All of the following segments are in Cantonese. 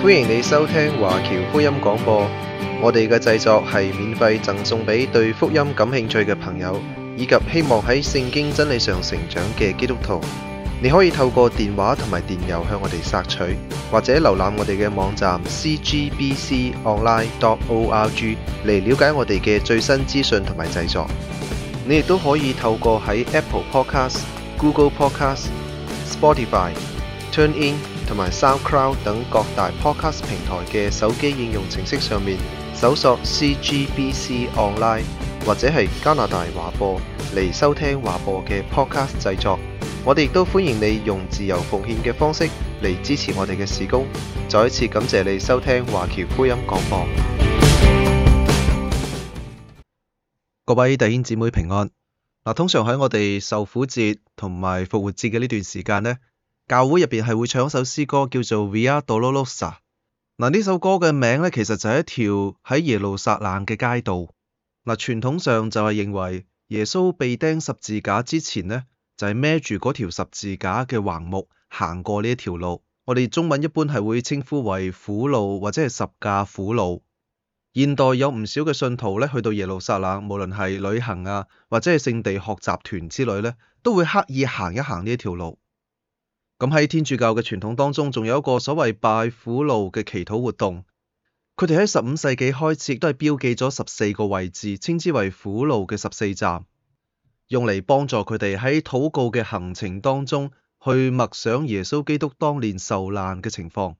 歡迎你收聽華僑福音廣播，我哋嘅製作係免費贈送俾對福音感興趣嘅朋友，以及希望喺聖經真理上成長嘅基督徒。你可以透過電話同埋電郵向我哋索取，或者瀏覽我哋嘅網站 cgbconline.org 嚟了解我哋嘅最新資訊同埋製作。你亦都可以透過喺 Apple Podcast、Google Podcast、Spotify、TuneIn同埋 SoundCloud 等各大 Podcast 平台嘅手機應用程式上面搜索 CGBC Online 或者係加拿大華播嚟收聽華播嘅 Podcast 製作。我哋亦都歡迎你用自由奉獻嘅方式嚟支持我哋嘅事工。再一次感謝你收聽華僑福音廣播。各位弟兄姊妹平安。通常喺我哋受苦節同埋復活節嘅呢段時間呢，教會入邊係會唱一首詩歌叫做 Via Dolorosa。呢首歌嘅名呢，其實就係一條喺耶路撒冷嘅街道。傳統上就係認為耶穌被釘十字架之前呢，就係孭住嗰條十字架嘅橫木行過呢一條路。我哋中文一般係會稱呼為苦路或者係十架苦路。現代有唔少嘅信徒咧，去到耶路撒冷，無論係旅行啊，或者係聖地學習團之類咧，都會刻意行一行呢一條路。咁喺天主教嘅傳統當中，仲有一個所謂拜苦路嘅祈禱活動。佢哋喺15世紀開始，亦都係標記咗14個位置，稱之為苦路嘅14站，用嚟幫助佢哋喺禱告嘅行程當中去默想耶穌基督當年受難嘅情況。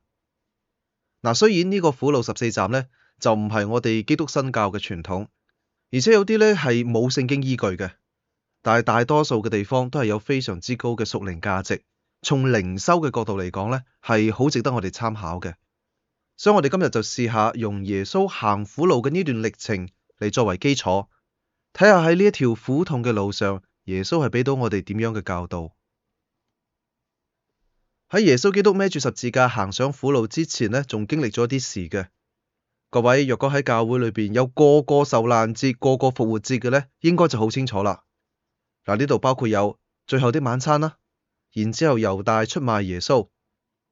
雖然呢個苦路14站咧，就唔係我哋基督新教嘅傳統，而且有啲咧係冇聖經依據嘅，但係大多數嘅地方都係有非常之高嘅屬靈價值，從靈修嘅角度嚟講咧，係好值得我哋參考嘅。所以我哋今日就試下用耶穌行苦路嘅呢段歷程嚟作為基礎，睇下喺呢一條苦痛嘅路上，耶穌係俾到我哋點樣嘅教導。喺耶穌基督孭住十字架行上苦路之前呢，仲經歷咗啲事嘅。各位若果喺教會裏邊有個個受難節、個個復活節嘅呢，應該就好清楚啦。呢度包括有最後的晚餐啦，然之後猶大出賣耶穌，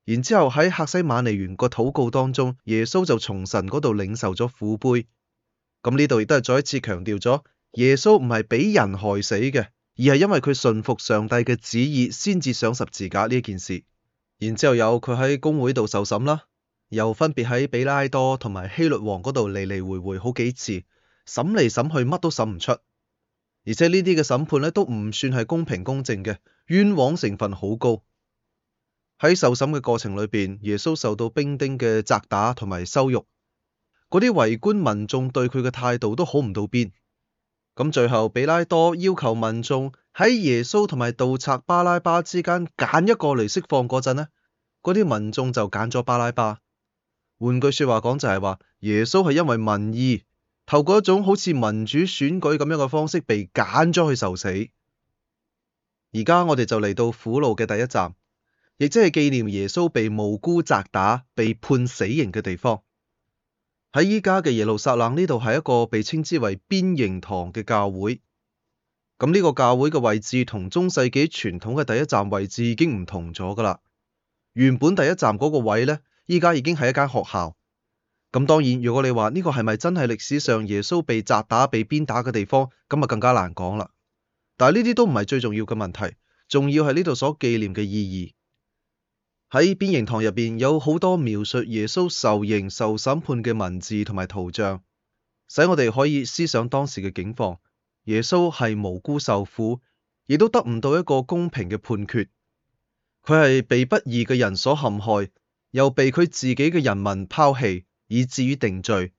然之後喺客西馬尼園個禱告當中，耶穌就從神嗰度領受咗苦杯。咁呢度亦都係再一次強調咗，耶穌唔係俾人害死嘅，而係因為佢順服上帝嘅旨意先至上十字架呢一件事。然之後有佢喺公會度受審啦。又分別喺比拉多同埋希律王嗰度嚟嚟回回好幾次，審嚟審去乜都審唔出，而且呢啲嘅審判咧都唔算係公平公正嘅，冤枉成分好高。喺受審嘅過程裏邊，耶穌受到兵丁嘅責打同埋羞辱，嗰啲圍觀民眾對佢嘅態度都好唔到邊。咁最後比拉多要求民眾喺耶穌同埋盜賊巴拉巴之間揀一個嚟釋放嗰陣呢，嗰啲民眾就揀咗巴拉巴。換句說話講就係話，耶穌係因為民意，透過一種好似民主選舉咁樣嘅方式被揀咗去受死。而家我哋就嚟到苦路嘅第一站，亦即係紀念耶穌被無辜責打、被判死刑嘅地方。喺依家嘅耶路撒冷呢度係一個被稱之為邊形堂嘅教會。咁呢個教會嘅位置同中世紀傳統嘅第一站位置已經唔同咗噶啦。原本第一站嗰個位呢，依家已經係一間學校。咁當然，如果你話呢個係咪真係歷史上耶穌被責打、被鞭打嘅地方，咁啊更加難講啦。但係呢啲都唔係最重要嘅問題，重要係呢度所紀念嘅意義。喺邊形堂入邊有好多描述耶穌受刑、受審判嘅文字同埋圖像，使我哋可以思想當時嘅境況。耶穌係無辜受苦，亦都得唔到一個公平嘅判決。佢係被不義嘅人所陷害，又被佢自己嘅人民拋棄，以至於定罪，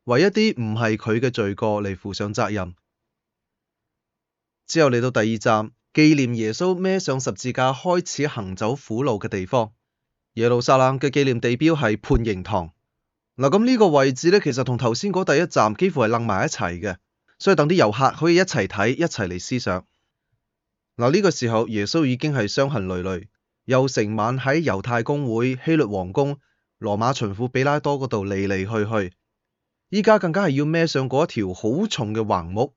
為一啲唔係佢嘅罪過嚟負上責任。之後嚟到第二站，紀念耶穌孭上十字架開始行走苦路嘅地方。耶路撒冷嘅紀念地標係判刑堂。咁呢個位置咧，其實同頭先嗰第一站幾乎係楞埋一齊嘅，所以等啲遊客可以一齊睇，一齊嚟思想。呢個時候耶穌已經係傷痕累累。又成晚喺猶太公會、希律王宮、羅馬巡撫比拉多嗰度嚟嚟去去，依家更加係要孭上嗰一條好重嘅橫木，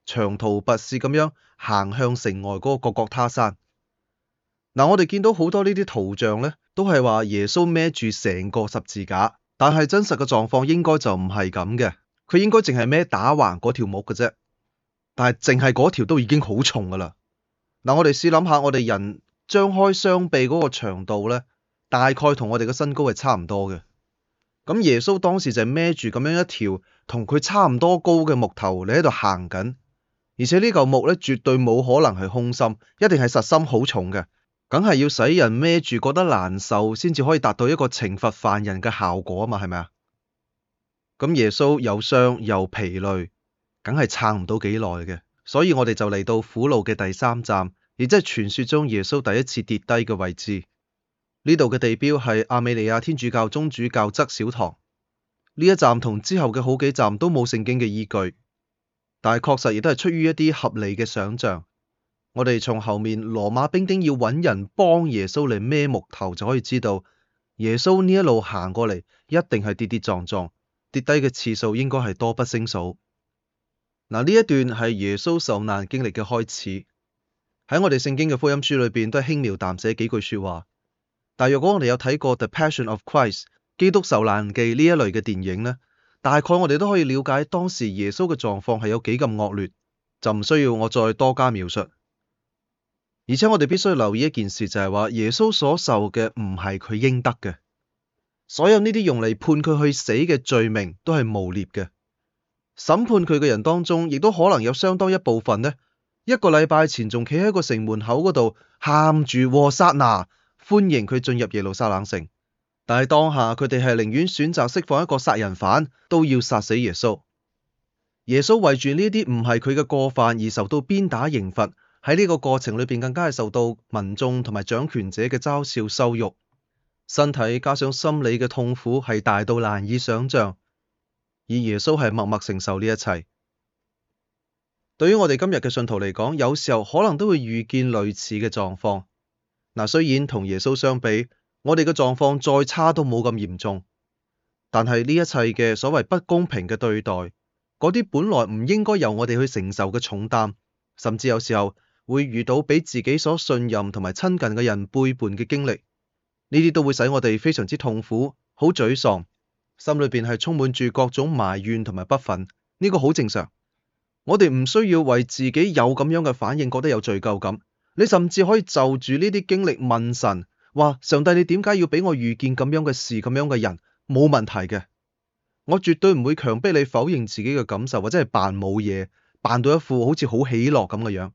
長途跋涉咁樣行向城外嗰個各各他山。我哋見到好多呢啲圖像咧，都係話耶穌孭住成個十字架，但係真實嘅狀況應該就唔係咁嘅，佢應該淨係孭打橫嗰條木嘅啫，但係淨係嗰條都已經好重噶啦。嗱，我哋試諗下，我哋人張開雙臂嗰個長度咧，大概同我哋嘅身高係差唔多嘅。咁耶穌當時就係孭住咁樣一條同佢差唔多高嘅木頭，你喺度行緊，而且呢嚿木咧絕對冇可能係空心，一定係實心好重嘅。梗係要使人孭住覺得難受，先至可以達到一個懲罰犯人嘅效果啊嘛，係咪啊？咁耶穌又傷又疲累，梗係撐唔到幾耐嘅。所以我哋就嚟到苦路嘅第3站，亦即係傳說中耶穌第一次跌低嘅位置。呢度嘅地標係亞美尼亞天主教宗主教側小堂。呢一站同之後嘅好幾站都冇聖經嘅依據，但係確實亦都係出於一啲合理嘅想像。我哋從後面羅馬兵丁要揾人幫耶穌嚟孭木頭就可以知道，耶穌呢一路行過嚟一定係跌跌撞撞，跌低嘅次數應該係多不勝數。嗱，呢一段係耶穌受難經歷嘅開始，喺我哋聖經嘅福音書裏邊都係輕描淡寫幾句說話。但若果我哋有睇過《The Passion of Christ》基督受難記呢一類嘅電影呢，大概我哋都可以了解當時耶穌嘅狀況係有幾咁惡劣，就唔需要我再多加描述。而且我哋必須留意一件事，就係話耶穌所受嘅唔係佢應得嘅，所有呢啲用嚟判佢去死嘅罪名都係誣衊嘅。審判佢嘅人當中，亦都可能有相當一部分呢，一個禮拜前仲企喺個城門口嗰度喊住和撒那，歡迎佢進入耶路撒冷城。但係當下佢哋係寧願選擇釋放一個殺人犯，都要殺死耶穌。耶穌為住呢啲唔係佢嘅過犯而受到鞭打刑罰，喺呢個過程裏邊更加係受到民眾同埋掌權者嘅嘲笑羞辱，身體加上心理嘅痛苦係大到難以想象，而耶穌係默默承受呢一切。對於我哋今日嘅信徒嚟講，有時候可能都會遇見類似嘅狀況。嗱，雖然同耶穌相比，我哋嘅狀況再差都冇咁嚴重，但係呢一切嘅所謂不公平嘅對待，嗰啲本來唔應該由我哋去承受嘅重擔，甚至有時候會遇到俾自己所信任同埋親近嘅人背叛嘅經歷，呢啲都會使我哋非常之痛苦，好沮喪，心裏邊係充滿住各種埋怨同埋不忿。呢個好正常，我哋唔需要為自己有咁樣嘅反應覺得有罪疚感。你甚至可以就住呢啲經歷問神，話上帝，你點解要俾我遇見咁樣嘅事，咁樣嘅人？冇問題嘅，我絕對唔會強迫你否認自己嘅感受，或者係扮冇嘢，扮到一副好似好喜樂咁嘅樣。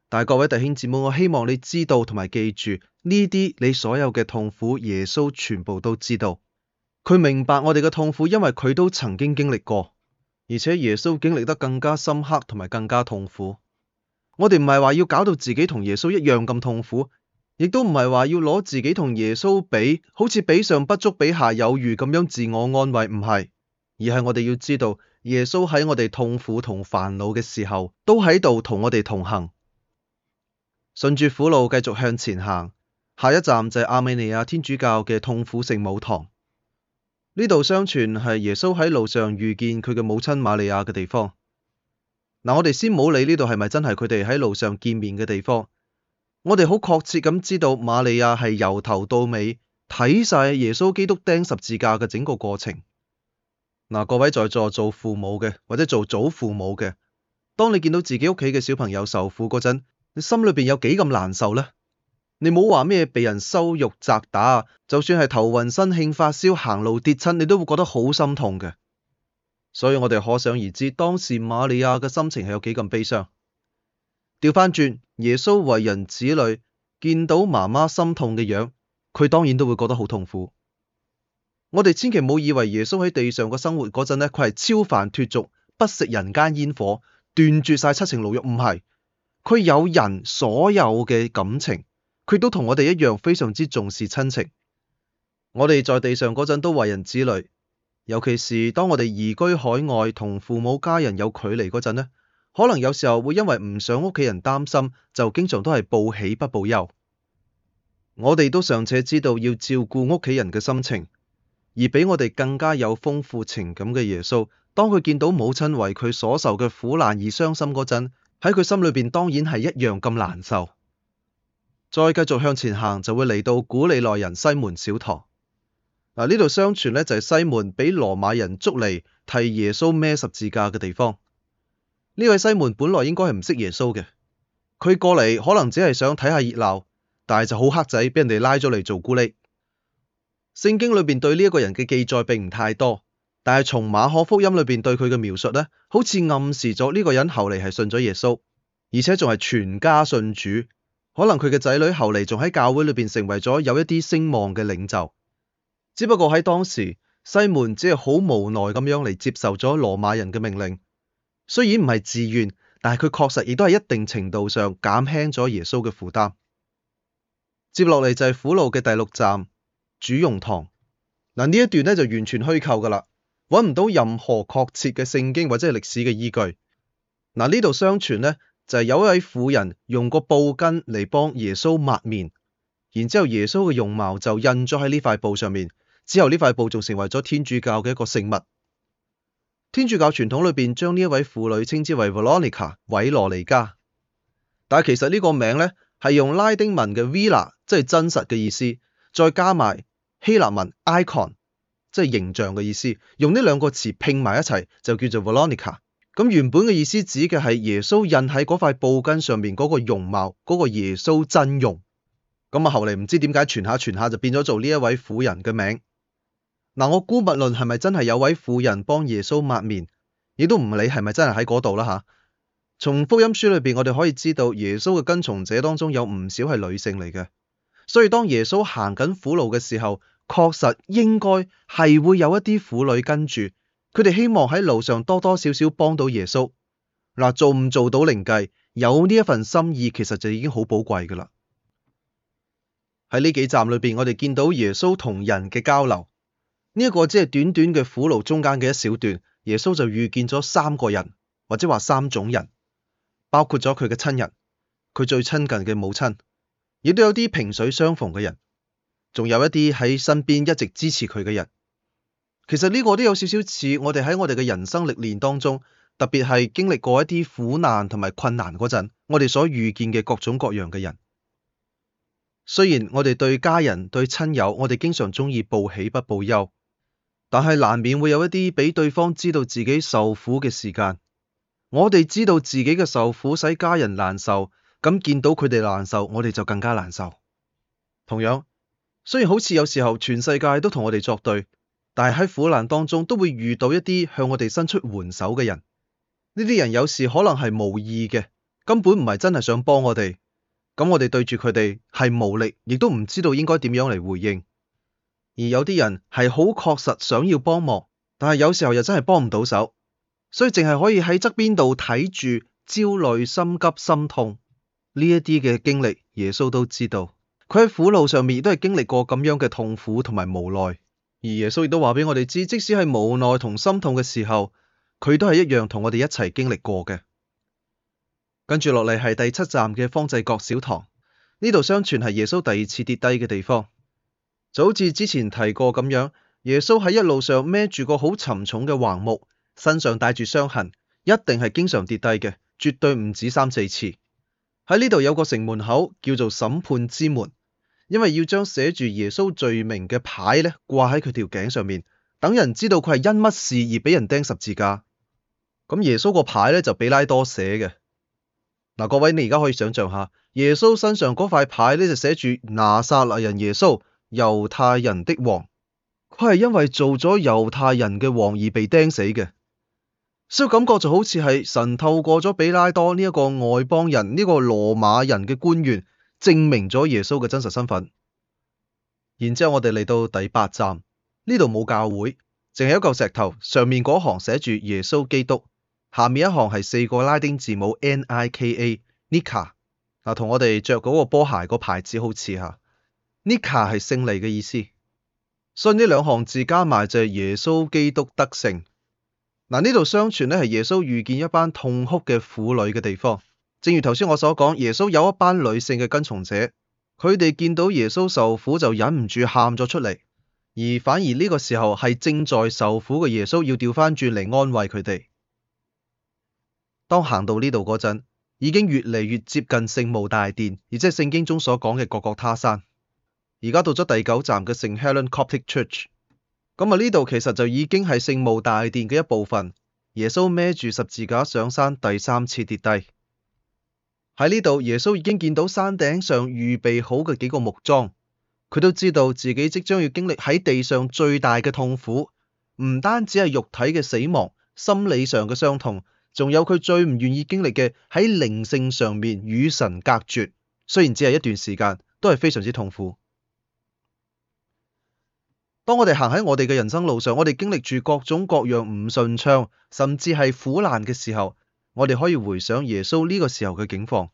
但係各位弟兄姊妹，我希望你知道同埋記住，呢啲你所有嘅痛苦，耶穌全部都知道。佢明白我哋嘅痛苦，因為佢都曾經經歷過，而且耶穌經歷得更加深刻同埋更加痛苦。我哋唔係話要搞到自己同耶穌一樣咁痛苦，亦都唔係話要攞自己同耶穌比，好似比上不足比下有餘咁樣自我安慰，唔係，而係我哋要知道耶穌喺我哋痛苦同煩惱嘅時候，都喺度同我哋同行。順住苦路繼續向前行，下一站就係亞美尼亞天主教嘅痛苦聖母堂。呢度相傳係耶穌喺路上遇見佢嘅母親瑪利亞嘅地方。嗱，我哋先冇理呢度係咪真係佢哋喺路上見面嘅地方，我哋好確切咁知道瑪利亞係由頭到尾睇晒耶穌基督釘十字架嘅整個過程。嗱，各位在座做父母嘅或者做祖父母嘅，當你見到自己屋企嘅小朋友受苦嗰陣，你心裏邊有幾咁難受呢？你冇話咩被人羞辱責打，就算係頭暈身㷫發燒行路跌親，你都會覺得好心痛嘅。所以我哋可想而知，當時瑪利亞嘅心情係有幾咁悲傷。調翻轉，耶穌為人子女，見到媽媽心痛嘅樣，佢當然都會覺得好痛苦。我哋千祈唔好以為耶穌喺地上嘅生活嗰陣呢，佢係超凡脫俗，不食人間煙火，斷絕晒七情六慾，唔係。佢有人所有嘅感情，佢都同我哋一樣非常之重視親情。我哋在地上嗰陣都為人子女。尤其是當我哋移居海外同父母家人有距離嗰陣呢，可能有時候會因為唔想屋企人擔心，就經常都係報喜不報憂。我哋都尚且知道要照顧屋企人嘅心情，而比我哋更加有豐富情感嘅耶穌，當佢見到母親為佢所受嘅苦難而傷心嗰陣，喺佢心裏邊當然係一樣咁難受。再繼續向前行就會嚟到古利奈人西門小堂。呢度相傳呢，就係西門俾羅馬人捉嚟替耶穌孭十字架嘅地方。呢位西門本來應該係唔識耶穌嘅，佢過嚟可能只係想睇下熱鬧，但係就好黑仔，俾人哋拉咗嚟做咕喱。聖經裏邊對呢一個人嘅記載並唔太多，但係從馬可福音裏邊對佢嘅描述呢，好似暗示咗呢個人後嚟係信咗耶穌，而且仲係全家信主。可能佢嘅仔女後嚟仲喺教會裏邊成為咗有一啲聲望嘅領袖。只不過喺當時，西門只係好無奈咁樣嚟接受咗羅馬人嘅命令，雖然唔係自願，但係佢確實亦都係一定程度上減輕咗耶穌嘅負擔。接落嚟就係苦路嘅第6站，主用堂。呢一段呢就完全虛構噶啦，揾唔到任何確切嘅聖經或者係歷史嘅依據。呢度相傳呢就係有一位婦人用個布巾嚟幫耶穌抹面，然之後耶穌嘅容貌就印咗喺呢塊布上面。之後呢塊布仲成為咗天主教嘅一個聖物。天主教傳統裏邊將呢一位婦女稱之為 Veronica 韋羅尼加，但係其實呢個名呢係用拉丁文嘅 Vera 即係真實嘅意思，再加埋希臘文 icon 即係形象嘅意思，用呢兩個詞拼埋一齊就叫做 Veronica。咁原本嘅意思指嘅係耶穌印喺嗰塊布巾上面嗰個容貌，嗰個耶穌真容。咁後嚟唔知點解傳下就變咗做呢一位婦人嘅名。我姑勿論係咪真係有位婦人幫耶穌抹面，亦都唔理係咪真係喺嗰度啦吓。從福音書裏邊我哋可以知道耶穌嘅跟從者當中有唔少係女性嚟嘅，所以當耶穌行緊苦路嘅時候，確實應該係會有一啲婦女跟住，佢哋希望喺路上多多少少幫到耶穌。做唔做到另計，有呢一份心意其實就已經好寶貴噶啦。喺呢幾站裏邊，我哋見到耶穌同人嘅交流。呢一個只係短短嘅苦路中間嘅一小段，耶穌就遇見咗3個人，或者話3種人，包括咗佢嘅親人，佢最親近嘅母親，亦都有啲萍水相逢嘅人，仲有一啲喺身邊一直支持佢嘅人。其實呢個都有少少似我哋喺我哋嘅人生歷練當中，特別係經歷過一啲苦難同埋困難嗰陣，我哋所遇見嘅各種各樣嘅人。雖然我哋對家人對親友，我哋經常鍾意報喜不報憂，但係難免會有一啲俾對方知道自己受苦嘅時間。我哋知道自己嘅受苦使家人難受，咁見到佢哋難受，我哋就更加難受。同樣，雖然好似有時候全世界都同我哋作對，但係喺苦難當中都會遇到一啲向我哋伸出援手嘅人。呢啲人有時可能係無意嘅，根本唔係真係想幫我哋。咁我哋對住佢哋係無力，亦都唔知道應該點樣嚟回應。而有啲人係好確實想要幫忙，但係有時候又真係幫唔到手，所以淨係可以喺側邊度睇住，焦慮、心急、心痛。呢一啲嘅經歷，耶穌都知道。佢喺苦路上面亦都係經歷過咁樣嘅痛苦同埋無奈。而耶穌亦都話俾我哋知，即使係無奈同心痛嘅時候，佢都係一樣同我哋一齊經歷過嘅。跟住落嚟係第7站嘅方濟各小堂，呢度相傳係耶穌第2次跌低嘅地方。就好似之前提過咁樣，耶穌喺一路上孭住個好沉重嘅橫木，身上帶住傷痕，一定係經常跌低嘅，絕對唔止3、4次。喺呢度有個城門口叫做審判之門，因為要將寫住耶穌罪名嘅牌咧掛喺佢條頸上面，等人知道佢係因乜事而俾人釘十字架。咁耶穌個牌咧就比拉多寫嘅。各位你而家可以想象下，耶穌身上嗰塊牌咧就寫住拿撒勒人耶穌，猶太人的王。佢係因為做咗猶太人嘅王而被釘死嘅，所以感覺就好似係神透過咗比拉多呢一個外邦人，呢個羅馬人嘅官員，證明咗耶穌嘅真實身份。然之後我哋嚟到第8站，呢度冇教會，淨係一嚿石頭，上面嗰行寫住耶穌基督。下面一行係4個拉丁字母 Nika， 同我哋着嗰個波鞋個牌子好似吓。Nika 係勝利嘅意思，所以呢2行字加埋就係耶穌基督得勝。呢度相傳咧係耶穌遇見一班痛哭嘅婦女嘅地方。正如頭先我所講，耶穌有一班女性嘅跟從者，佢哋見到耶穌受苦就忍唔住喊咗出嚟，而反而呢個時候係正在受苦嘅耶穌要調翻轉嚟安慰佢哋。當行到呢度嗰陣，已經越嚟越接近聖墓大殿，而即係聖經中所講嘅各各他山。而家到咗第9站嘅聖 Helen Coptic Church， 咁呢度其實就已經係聖墓大殿嘅一部分。耶穌孭住十字架上山第3次跌低。喺呢度，耶穌已經見到山頂上預備好嘅幾個木樁，佢都知道自己即將要經歷喺地上最大嘅痛苦，唔單止係肉體嘅死亡，心理上嘅傷痛，仲有佢最唔願意經歷嘅喺靈性上面與神隔絕，雖然只係一段時間，都係非常之痛苦。當我哋行喺我哋嘅人生路上，我哋經歷住各種各樣唔順暢，甚至係苦難嘅時候，我哋可以回想耶穌呢個時候嘅境況。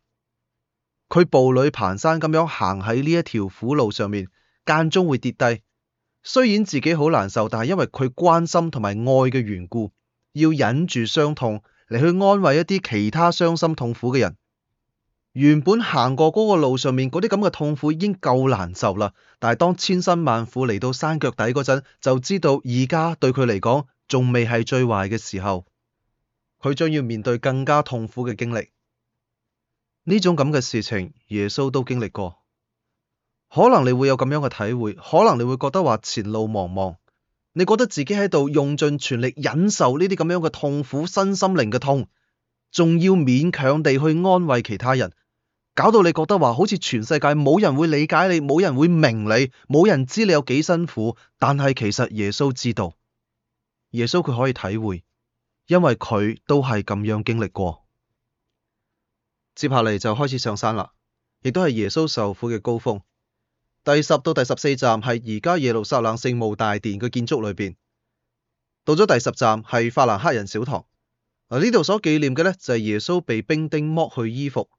佢步履蹣跚咁樣行喺呢一條苦路上面，間中會跌低。雖然自己好難受，但係因為佢關心同埋愛嘅緣故，要忍住傷痛嚟去安慰一啲其他傷心痛苦嘅人。原本行過嗰個路上面嗰啲咁嘅痛苦已經夠難受啦，但係當千辛萬苦嚟到山腳底嗰陣，就知道而家對佢嚟講仲未係最壞嘅時候，佢將要面對更加痛苦嘅經歷。呢種咁嘅事情，耶穌都經歷過。可能你會有咁樣嘅體會，可能你會覺得話前路茫茫，你覺得自己喺度用盡全力忍受呢啲咁樣嘅痛苦，身心靈嘅痛，仲要勉強地去安慰其他人，搞到你覺得話好似全世界冇人會理解你，冇人會明你，冇人知你有幾辛苦。但係其實耶穌知道，耶穌佢可以體會，因為佢都係咁樣經歷過。接下嚟就開始上山啦，亦都係耶穌受苦嘅高峰。第10到第14站係而家耶路撒冷聖墓大殿嘅建築裏邊。到咗第10站係法蘭克人小堂。呢度所紀念嘅呢，就係耶穌被兵丁剝去衣服。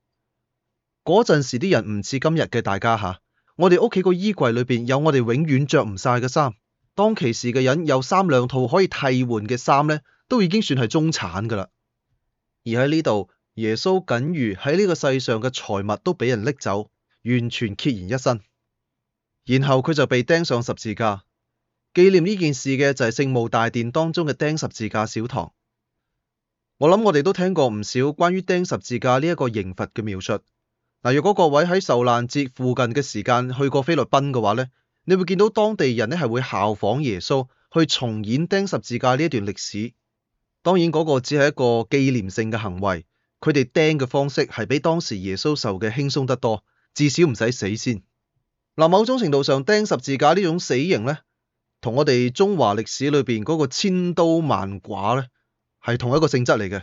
嗰陣時啲人唔似今日嘅大家吓，我哋屋企個衣櫃裏邊有我哋永遠着唔晒嘅衫。當其時嘅人有3兩套可以替換嘅衫呢，都已經算係中產噶啦。而喺呢度，耶穌僅餘喺呢個世上嘅財物都俾人拎走，完全孑然一身。然後佢就被釘上十字架。紀念呢件事嘅就係聖墓大殿當中嘅釘十字架小堂。我諗我哋都聽過唔少關於釘十字架呢一個刑罰嘅描述。如果各位喺受難節附近嘅時間去過菲律賓嘅話呢，你會見到當地人呢係會效仿耶穌去重演釘十字架呢一段歷史。當然嗰個只係一個紀念性嘅行為，佢哋釘嘅方式係比當時耶穌受嘅輕鬆得多，至少唔使死先。某種程度上釘十字架呢種死刑呢，同我哋中華歷史裏邊嗰個千刀萬剮呢，係同一個性質嚟嘅。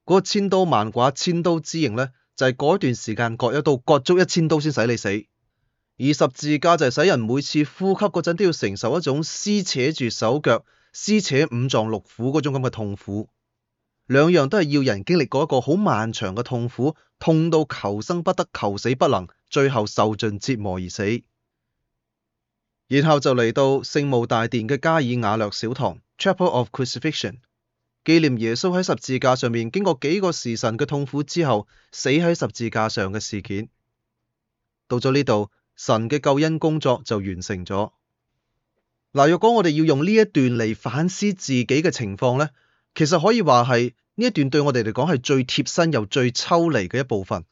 嗰個千刀萬剮千刀之刑呢，就係嗰段時間割一刀，割足1000刀先使你死。而十字架就係使人每次呼吸嗰陣都要承受一種撕扯住手腳、撕扯5臟6腑嗰種咁嘅痛苦。兩樣都係要人經歷過一個好漫長嘅痛苦，痛到求生不得、求死不能，最後受盡折磨而死。然後就嚟到聖墓大殿嘅加爾瓦略小堂 Chapel of Crucifixion， 紀念耶穌喺十字架上面經過幾個時辰嘅痛苦之後，死喺十字架上嘅事件。到咗呢度，神嘅救恩工作就完成咗。若果我哋要用呢一段嚟反思自己嘅情況呢，其實可以話係呢一段對我哋嚟講係最貼身又最抽離嘅一部分。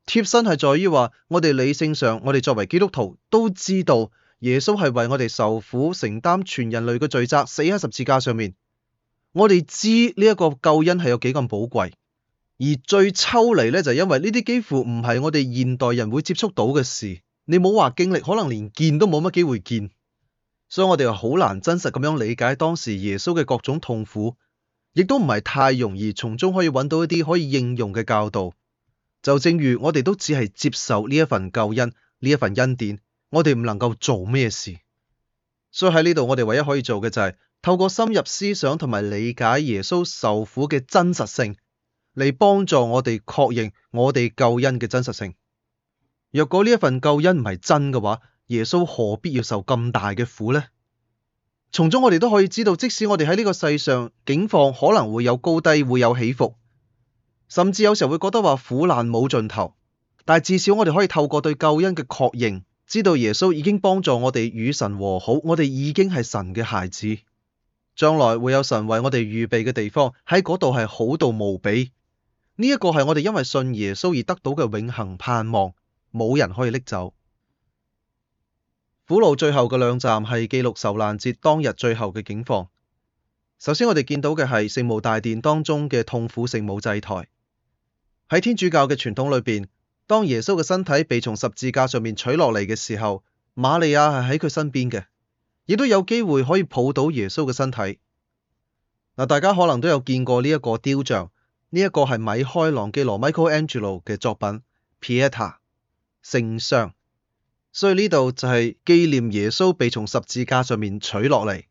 貼身係在於話，我哋理性上，我哋作為基督徒都知道耶穌係為我哋受苦，承擔全人類嘅罪責，死喺十字架上面。我哋知呢一個救恩係有幾咁寶貴，而最抽離呢，就係因為呢啲幾乎唔係我哋現代人會接觸到嘅事。你冇話經歷，可能連見都冇乜機會見，所以我哋好難真實咁樣理解當時耶穌嘅各種痛苦，亦都唔係太容易從中可以揾到一啲可以應用嘅教導。就正如我哋都只係接受呢一份救恩，呢一份恩典，我哋唔能夠做咩事。所以喺呢度我哋唯一可以做嘅就係透過深入思想同埋理解耶穌受苦嘅真實性，嚟幫助我哋確認我哋救恩嘅真實性。若果呢一份救恩唔係真嘅話，耶穌何必要受咁大嘅苦呢？從中我哋都可以知道，即使我哋喺呢個世上境況可能會有高低，會有起伏，甚至有時候會覺得話苦難冇盡頭，但係至少我哋可以透過對救恩嘅確認，知道耶穌已經幫助我哋與神和好，我哋已經係神嘅孩子，將來會有神為我哋預備嘅地方，喺嗰度係好到無比。呢一個係我哋因為信耶穌而得到嘅永恆盼望，冇人可以拎走。苦路最後嘅兩站係記錄受難節當日最後嘅景況。首先我哋見到嘅係聖母大殿當中嘅痛苦聖母祭台。喺天主教嘅傳統裏邊，當耶穌嘅身體被從十字架上面取落嚟嘅時候，瑪利亞係喺佢身邊嘅，亦都有機會可以抱到耶穌嘅身體。大家可能都有見過呢一個雕像，呢一個係米開朗基羅 Michelangelo 嘅作品 Pietà 聖殤，所以呢度就係紀念耶穌被從十字架上面取落嚟。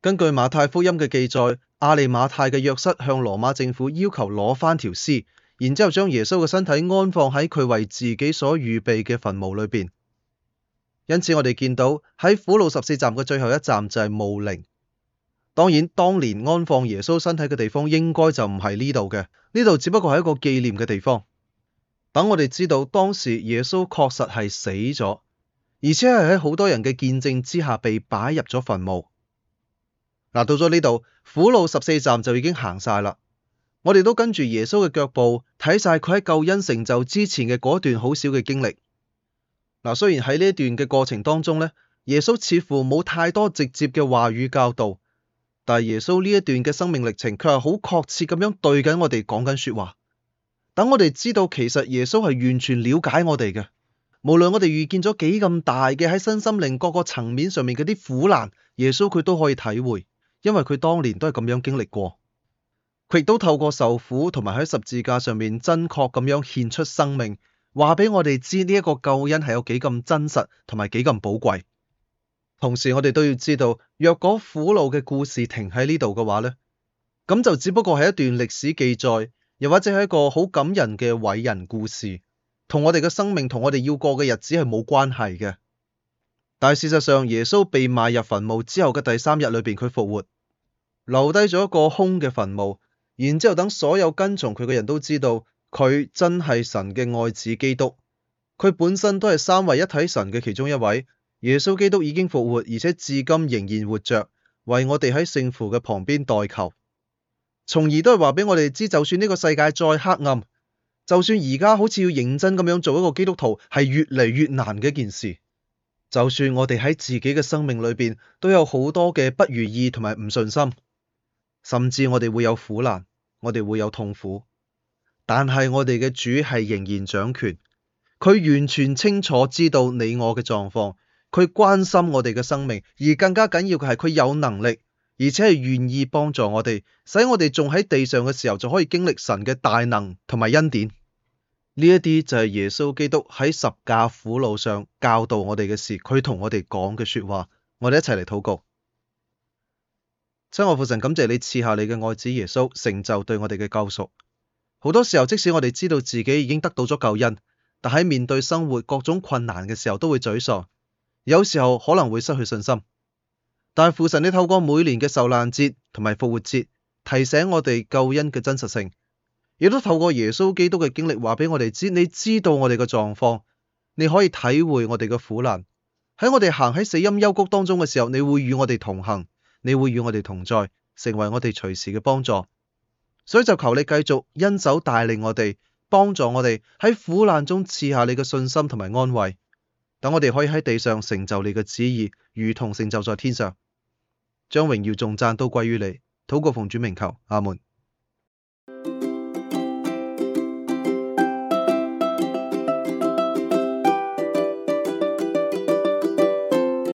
根據馬太福音嘅記載，亞利馬太嘅約瑟向羅馬政府要求攞返條屍，然之後將耶穌嘅身體安放喺佢為自己所預備嘅墳墓裏邊。因此我哋見到喺苦路14站嘅最後一站就係墓陵。當然，當年安放耶穌身體嘅地方應該就唔係呢度嘅，呢度只不過係一個紀念嘅地方。等我哋知道當時耶穌確實係死咗，而且係喺好多人嘅見證之下被擺入咗墳墓。到咗呢度，苦路14站就已經行晒啦。我哋都跟住耶穌嘅腳步，睇晒佢喺救恩成就之前嘅嗰段好少嘅經歷。雖然喺呢一段嘅過程當中呢，耶穌似乎冇太多直接嘅話語教導，但係耶穌呢一段嘅生命歷程，卻係好確切咁樣對緊我哋講緊說話。等我哋知道其實耶穌係完全了解我哋嘅，無論我哋遇見咗幾咁大嘅喺身心靈各個層面上面嗰啲苦難，耶穌佢都可以體會，因為佢當年都係咁樣經歷過。佢亦都透過受苦同埋喺十字架上面真確咁樣獻出生命，話俾我哋知呢一個救恩係有幾咁真實同埋幾咁寶貴。同時我哋都要知道，若果苦路嘅故事停喺呢度嘅話呢，咁就只不過係一段歷史記載，又或者係一個好感人嘅偉人故事，同我哋嘅生命同我哋要過嘅日子係冇關係嘅。但係事實上，耶穌被埋入墳墓之後嘅第3日裏邊，佢復活，留低咗一個空嘅墳墓。然之後等所有跟從佢嘅人都知道，佢真係神嘅愛子基督，佢本身都係三位一體神嘅其中一位。耶穌基督已經復活，而且至今仍然活着，為我哋喺聖父嘅旁邊代求，從而都係話俾我哋知，就算呢個世界再黑暗，就算而家好似要認真咁樣做一個基督徒係越嚟越難嘅一件事，就算我哋喺自己嘅生命裏邊都有好多嘅不如意同埋唔順心，甚至我哋會有苦難，我哋會有痛苦，但係我哋嘅主係仍然掌權，佢完全清楚知道你我嘅狀況，佢關心我哋嘅生命，而更加緊要嘅係佢有能力，而且係願意幫助我哋，使我哋仲喺地上嘅時候就可以經歷神嘅大能同埋恩典。呢一啲就係耶穌基督喺十架苦路上教導我哋嘅事，佢同我哋講嘅說話。我哋一齊嚟禱告。親愛父神，感謝你賜下你嘅愛子耶穌，成就對我哋嘅救贖。好多時候，即使我哋知道自己已經得到咗救恩，但喺面對生活各種困難嘅時候都會沮喪，有時候可能會失去信心。但係父神，你透過每年嘅受難節同埋復活節，提醒我哋救恩嘅真實性，亦都透過耶穌基督嘅經歷話俾我哋知，你知道我哋嘅狀況，你可以體會我哋嘅苦難。喺我哋行喺死蔭幽谷當中嘅時候，你會與我哋同行，你會與我哋同在，成為我哋隨時嘅幫助。所以就求你繼續恩手帶領我哋，幫助我哋喺苦難中賜下你嘅信心同埋安慰，等我哋可以喺地上成就你嘅旨意，如同成就在天上。將榮耀頌讚都歸於你。禱告奉主名求，阿門。